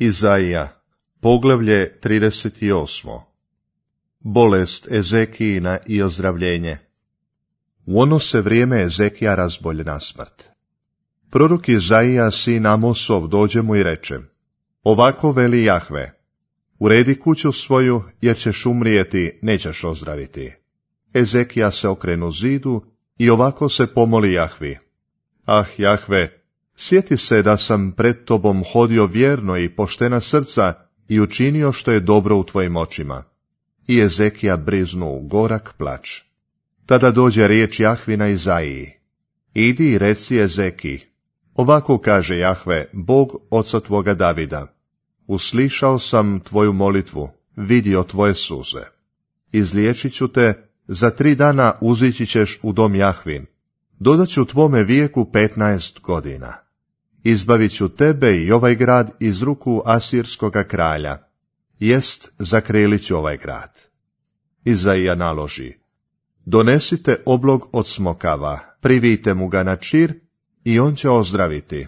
Izaija, poglavlje 38. Bolest Ezekijina i ozdravljenje. U ono se vrijeme Ezekija razbolje na smrt. Prorok Izaija, sin Amosov, dođe mu i reče: Ovako veli Jahve, uredi kuću svoju, jer ćeš umrijeti, nećeš ozdraviti. Ezekija se okrenu zidu i ovako se pomoli Jahvi: Ah, Jahve, sjeti se da sam pred tobom hodio vjerno i poštena srca i učinio što je dobro u tvojim očima. I Ezekija briznu u gorak plač. Tada dođe riječ Jahvina Izaiji: Idi i reci Ezekiji, ovako kaže Jahve, Bog oca tvoga Davida: Uslišao sam tvoju molitvu, vidio tvoje suze. Izliječit ću te, za 3 dana uzići ćeš u dom Jahvin, dodat ću tvome vijeku 15 godina. Izbavit ću tebe i ovaj grad iz ruku asirskoga kralja, jest zakrelit ću ovaj grad. Izaija naloži: Donesite oblog od smokava, privijte mu ga na čir i on će ozdraviti.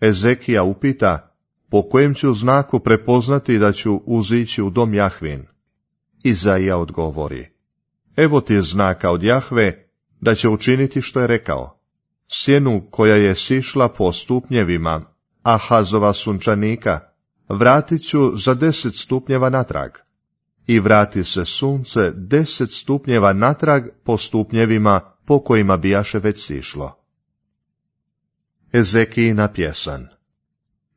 Ezekija upita: Po kojem ću znaku prepoznati da ću uzići u dom Jahvin? Izaija odgovori: Evo ti znaka od Jahve da će učiniti što je rekao. Sjenu koja je sišla po stupnjevima Ahazova sunčanika vratit ću za 10 stupnjeva natrag. I vrati se sunce 10 stupnjeva natrag po stupnjevima po kojima bijaše već sišlo. Ezekijina pjesan.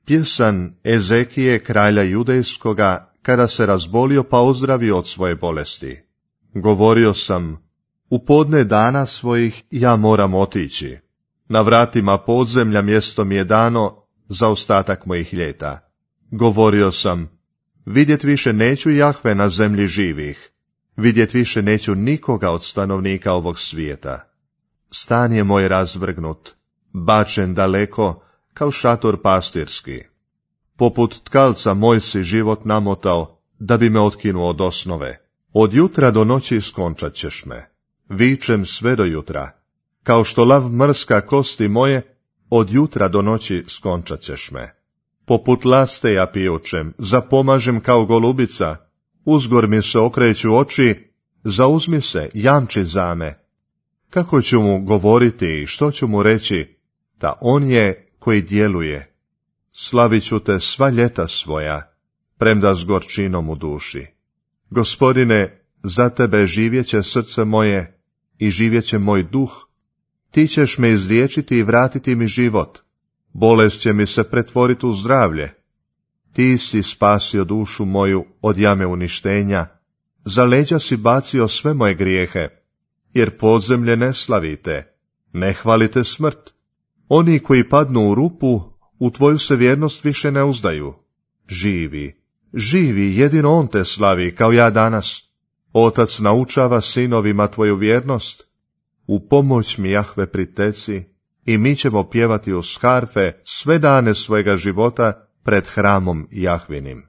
Pjesan Ezekije kralja judejskoga, kada se razbolio pa ozdravio od svoje bolesti. Govorio sam: U podne dana svojih ja moram otići. Na vratima podzemlja mjesto mi je dano za ostatak mojih ljeta. Govorio sam: Vidjet više neću Jahve na zemlji živih, vidjet više neću nikoga od stanovnika ovog svijeta. Stan je moj razvrgnut, bačen daleko, kao šator pastirski. Poput tkalca moj si život namotao, da bi me otkinuo od osnove. Od jutra do noći skončat ćeš me, vičem sve do jutra. Kao što lav mrska kosti moje, od jutra do noći skončat ćeš me. Poput laste ja pijučem, zapomažem kao golubica, uzgor mi se okreću oči, zauzmi se, jamči za me. Kako ću mu govoriti i što ću mu reći, da on je koji djeluje. Slavit ću te sva ljeta svoja, premda s gorčinom u duši. Gospodine, za tebe živjeće srce moje i živjeće moj duh. Ti ćeš me izliječiti i vratiti mi život. Bolest će mi se pretvoriti u zdravlje. Ti si spasio dušu moju od jame uništenja, za leđa si bacio sve moje grijehe, jer podzemlje ne slavite, ne hvalite smrt. Oni koji padnu u rupu, u tvoju se vjernost više ne uzdaju. Živi, živi, jedino on te slavi, kao ja danas. Otac naučava sinovima tvoju vjernost. U pomoć mi, Jahve, priteci, i mi ćemo pjevati uz harfe sve dane svojega života pred hramom Jahvinim.